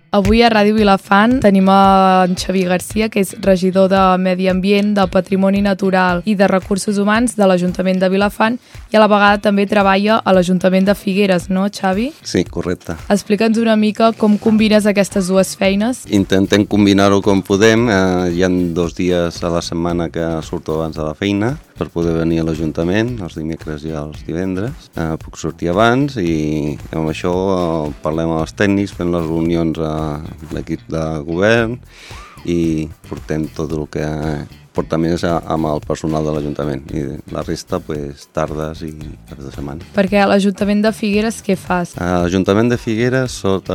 Avui a Ràdio Vilafant tenim en Xavi Garcia, que és regidor de Medi Ambient, de Patrimoni Natural i de Recursos Humans de l'Ajuntament de Vilafant i a la vegada també treballa a l'Ajuntament de Figueres, no, Xavi? Sí, correcte. Explica'ns una mica com combines aquestes dues feines. Intentem combinar-ho com podem. Hi ha 2 dies a la setmana que surto abans de la feina per poder venir a l'Ajuntament, els dimecres i els divendres. Puc sortir abans i amb això parlem amb els tècnics, fem les reunions a l'equip de govern i portem tot el que porta més amb el personal de l'Ajuntament i la resta tardes i caps de setmana. Perquè a l'Ajuntament de Figueres què fas? A l'Ajuntament de Figueres soc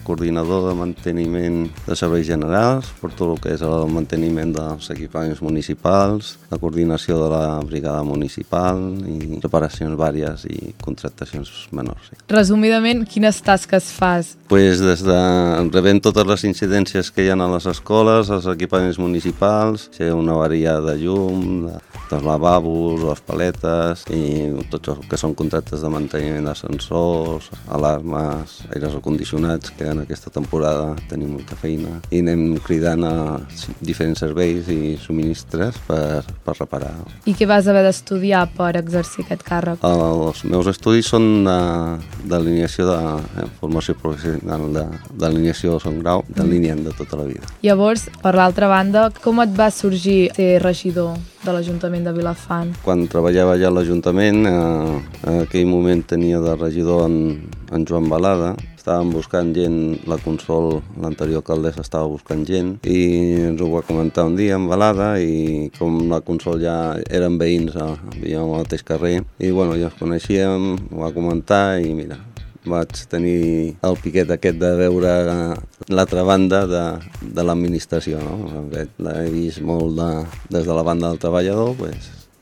coordinador de manteniment de serveis generals, per tot el que és el manteniment dels equipaments municipals, la coordinació de la brigada municipal i reparacions vàries i contractacions menors. Sí. Resumidament, quines tasques fas? Des de rebent totes les incidències que hi ha a les escoles, als equipaments municipals, si hi ha una avaria de llum, dels lavabos, les paletes i tots els que són contractes de manteniment d'ascensors, alarmes, aires acondicionats, que en aquesta temporada tenim molta feina i anem cridant a diferents serveis i subministres per reparar. I què vas haver d'estudiar per exercir aquest càrrec? Els meus estudis són d'alineació de formació professional, d'alineació de segon grau, d'alineant de tota la vida. Llavors, per l'altra banda, com et va sorgir ser regidor de l'Ajuntament de Vilafant? Quan treballava ja a l'Ajuntament, en aquell moment tenia de regidor en Joan Balada. Estàvem buscant gent, la Consol, l'anterior alcaldessa, estava buscant gent i ens ho va comentar un dia en Balada i com la Consol ja eren veïns, vivíem al mateix carrer i bueno, ja ens coneixíem, ho va comentar i mira, vaig tenir el piquet aquest de veure l'altra banda de l'administració, no? L'he vist molt des de la banda del treballador,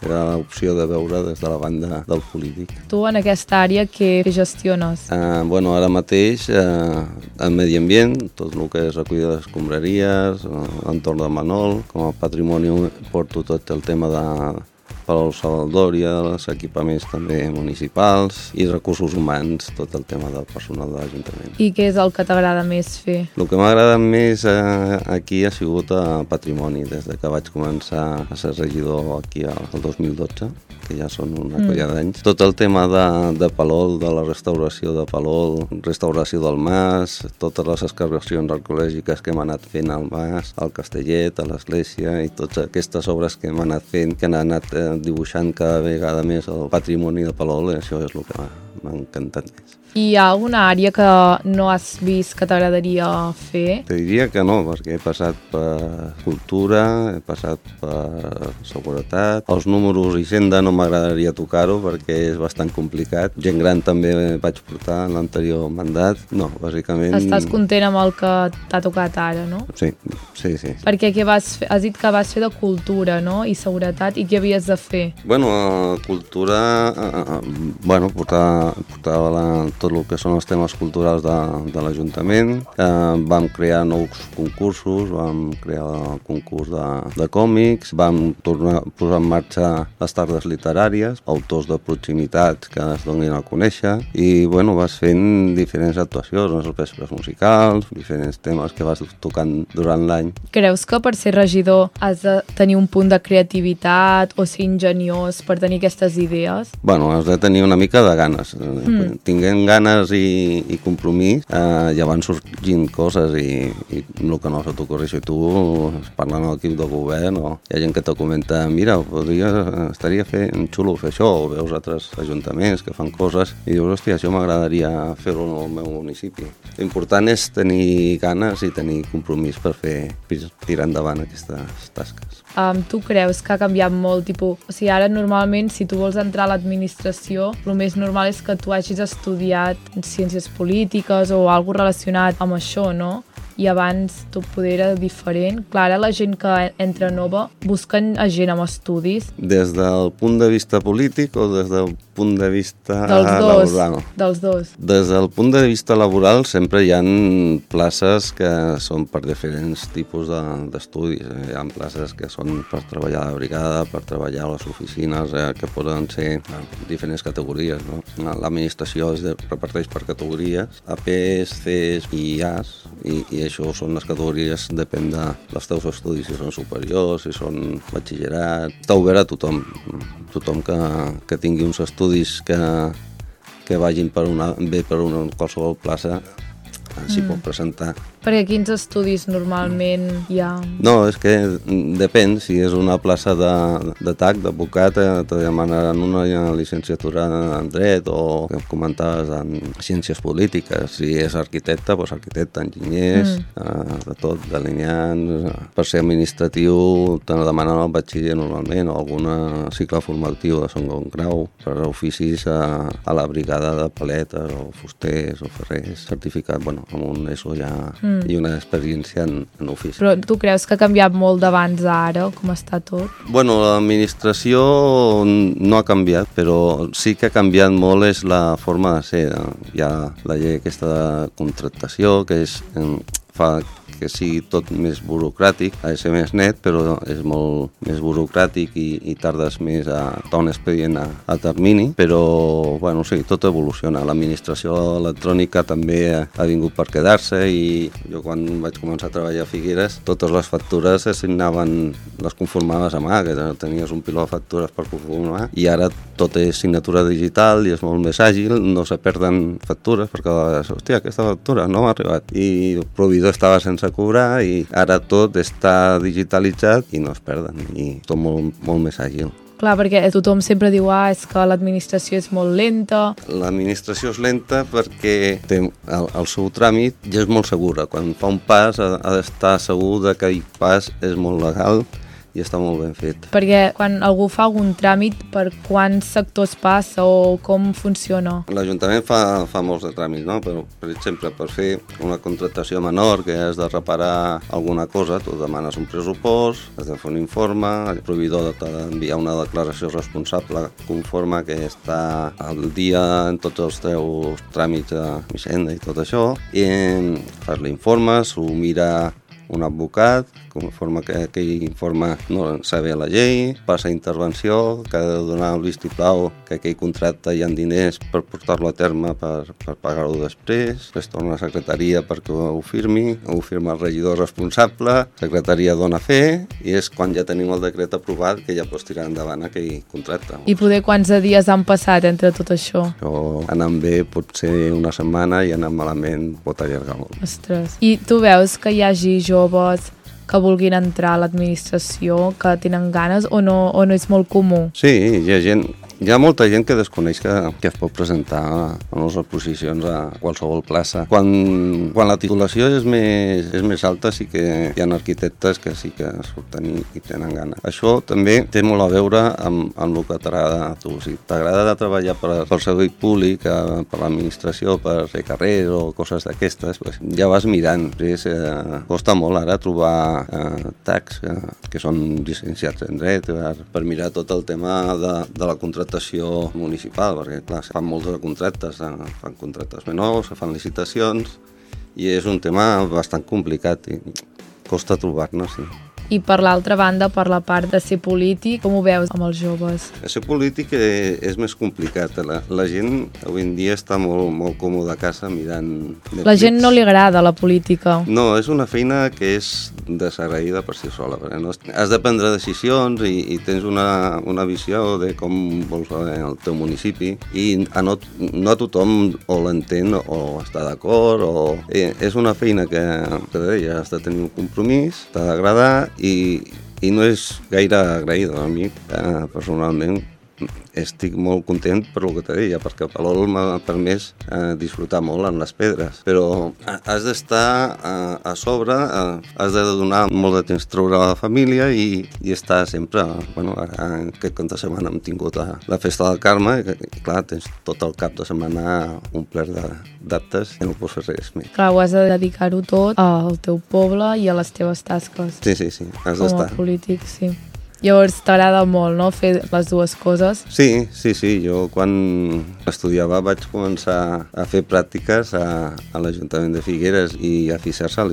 era l'opció de veure des de la banda del polític. Tu en aquesta àrea què gestiones? Ara mateix en Medi Ambient, tot el que és recollida d'escombraries, l'entorn de Manol, com a patrimoni porto tot el tema de Palau Salvadòria, els equipaments també municipals i recursos humans, tot el tema del personal de l'Ajuntament. I què és el que t'agrada més fer? El que m'ha agradat més aquí ha sigut patrimoni, des que vaig començar a ser regidor aquí el 2012, que ja són una colla d'anys. Tot el tema de Palol, de la restauració de Palol, restauració del mas, totes les excavacions arqueològiques que hem anat fent al mas, al Castellet, a l'església i totes aquestes obres que hem anat fent, que han anat dibuixant cada vegada més el patrimoni de Palol, i això és el que m'ha encantat més. I hi ha alguna àrea que no has vist que t'agradaria fer? Te diria que no, perquè he passat per cultura, he passat per seguretat. Els números i Hisenda no m'agradaria tocar-ho perquè és bastant complicat. Gent gran també vaig portar en l'anterior mandat. No, bàsicament... Estàs content amb el que t'ha tocat ara, no? Sí. Perquè què vas fer? Has dit que vas fer de cultura, no? I seguretat, i què havies de fer? Cultura... portava tot el que són els temes culturals de l'Ajuntament. Vam crear nous concursos, vam crear el concurs de còmics, vam tornar a posar en marxa les tardes literàries, autors de proximitat que es donin a conèixer i vas fent diferents actuacions, els vespres musicals, diferents temes que vas tocant durant l'any. Creus que per ser regidor has de tenir un punt de creativitat o ser ingeniós per tenir aquestes idees? Has de tenir una mica de ganes. Tinguent ganes i compromís, ja van sorgint coses i el que no se t'ocorri, tu parlant amb l'equip de govern o hi ha gent que te comenta, mira, estaria xulo fer això, o veus altres ajuntaments que fan coses i dius, hòstia, això m'agradaria fer-ho al meu municipi. L'important és tenir ganes i tenir compromís per tirar endavant aquestes tasques. Tu creus que ha canviat molt? Ara normalment si tu vols entrar a l'administració, el més normal és que tu hagis estudiat ciències polítiques o alguna cosa relacionat amb això, no? I abans tot poder era diferent. Clar, ara la gent que entra nova busquen gent amb estudis. Des del punt de vista polític o des del punt de vista laboral. Dels dos. Des del punt de vista laboral sempre hi ha places que són per diferents tipus d'estudis. Hi ha places que són per treballar a la brigada, per treballar a les oficines, que poden ser diferents categories. No? L'administració es reparteix per categories, APs, Cs i As, i això són les categories, depèn dels teus estudis, si són superiors, si són batxillerat. Està obert a tothom que tingui uns estudis que vagin bé per una qualsevol plaça, s'hi pot presentar. Perquè quins estudis normalment hi ha? No, és que depèn. Si és una plaça de TAC, d'advocat, te demanaran una llicenciatura en dret o, que comentaves, en ciències polítiques. Si és arquitecte, doncs arquitecte, enginyers, de tot, delineants. Per ser administratiu te demanen el batxiller normalment o algun cicle formatiu de segon grau. Per oficis a la brigada de paletes o fusters o ferrers, certificat, bueno, amb un ESO ja i una experiència en ofici. Però tu creus que ha canviat molt d'abans a ara, com està tot? Bueno, l'administració no ha canviat, però sí que ha canviat molt és la forma de ser. Hi ha la llei aquesta de contractació, que fa que sigui tot més burocràtic, ha de ser més net, però és molt més burocràtic i tardes més a donar un expedient a termini, però bueno, sí, tot evoluciona. L'administració electrònica també ha vingut per quedar-se i jo quan vaig començar a treballar a Figueres, totes les factures les conformaves a mà, que tenies un piló de factures per conformar, i ara tot és signatura digital i és molt més àgil, no se perden factures, perquè a vegades, hòstia, aquesta factura no m'ha arribat, i el proveïdor estava sense cobrar i ara tot està digitalitzat i no es perden, i tot molt més àgil. Clar, perquè tothom sempre diu és que l'administració és molt lenta. L'administració és lenta perquè té el seu tràmit i és molt segura. Quan fa un pas ha d'estar segur que aquell pas és molt legal i està molt ben fet. Perquè quan algú fa algun tràmit, per quants sectors passa o com funciona? L'Ajuntament fa molts de tràmits, no? Però, per exemple, per fer una contractació menor que has de reparar alguna cosa, tu demanes un pressupost, has de fer un informe, el proveïdor t'ha d'enviar una declaració responsable conforme que està al dia en tots els teus tràmits a Hisenda i tot això, i fas l'informe, s'ho mira un advocat, conforme que aquell informe no sabe la llei, passa a intervenció, que ha de donar el vistiplau que aquell contracte hi ha diners per portar-lo a terme per pagar-ho després, torna a la secretaria perquè ho firmi, ho firma el regidor responsable, secretaria dona fe, i és quan ja tenim el decret aprovat que ja pots tirar endavant aquell contracte. I poder quants dies han passat entre tot això? Això anant bé pot ser una setmana i anant malament pot allargar molt. Ostres. I tu veus que hi hagi joves que vulguin entrar a l'administració, que tenen ganes, o no és molt comú? Sí, hi ha molta gent que desconeix que es pot presentar en les oposicions a qualsevol plaça. Quan la titulació és més alta, sí que hi ha arquitectes que sí que surten i tenen gana. Això també té molt a veure amb el que t'agrada a tu. Si t'agrada treballar pel servei públic, per l'administració, per fer carrers o coses d'aquestes, ja vas mirant. Costa molt ara trobar TACs que són llicenciats en dret per mirar tot el tema de la contractació municipal, perquè clar, se fan molts de contractes, fan contractes menors, se fan licitacions i és un tema bastant complicat i costa trobar-ne, sí. I per l'altra banda, per la part de ser polític, com ho veus amb els joves? Ser polític és més complicat. La gent avui en dia està molt còmoda a casa mirant Netflix. La gent no li agrada la política. No, és una feina que és desagraïda per si sola, perquè no has de prendre decisions i tens una visió de com vols el teu municipi i no a tothom o l'entén o està d'acord. És una feina que has de tenir un compromís, t'ha d'agradar i no és gaire agraïda. A mi, personalment, estic molt content per el que te deia, perquè el Palol m'ha permès disfrutar molt en les pedres, però has d'estar a sobre, has de donar molt de temps a treure a la família i estar sempre, aquest cap de setmana hem tingut la festa del Carme i clar, tens tot el cap de setmana omplert d'actes i no pots fer res més. Clar, ho has de dedicar-ho tot al teu poble i a les teves tasques. Sí, has d'estar. Com a polític, sí. Llavors t'agrada molt, no?, fer les dues coses. Sí, jo quan estudiava vaig començar a fer pràctiques a l'Ajuntament de Figueres i a Fisersa a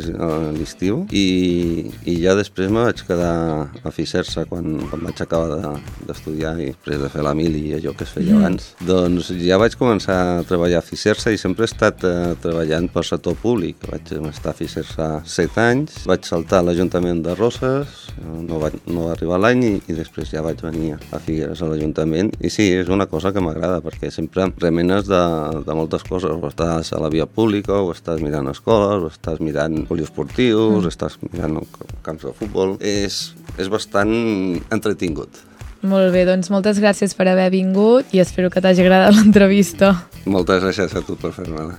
l'estiu i ja després me vaig quedar a Fisersa quan vaig acabar d'estudiar i després de fer la mili i allò que es feia abans. Doncs ja vaig començar a treballar a Fisersa i sempre he estat treballant pel sector públic. Vaig estar a Fisersa 7 anys, vaig saltar a l'Ajuntament de Roses, no va arribar l'any i després ja vaig venir a Figueres a l'Ajuntament i sí, és una cosa que m'agrada perquè sempre remenes de moltes coses, o estàs a la via pública, o estàs mirant escoles, o estàs mirant poliesportius, estàs mirant camps de futbol, és bastant entretingut. Molt bé, doncs moltes gràcies per haver vingut i espero que t'hagi agradat l'entrevista. Moltes gràcies a tu per fer-me-la.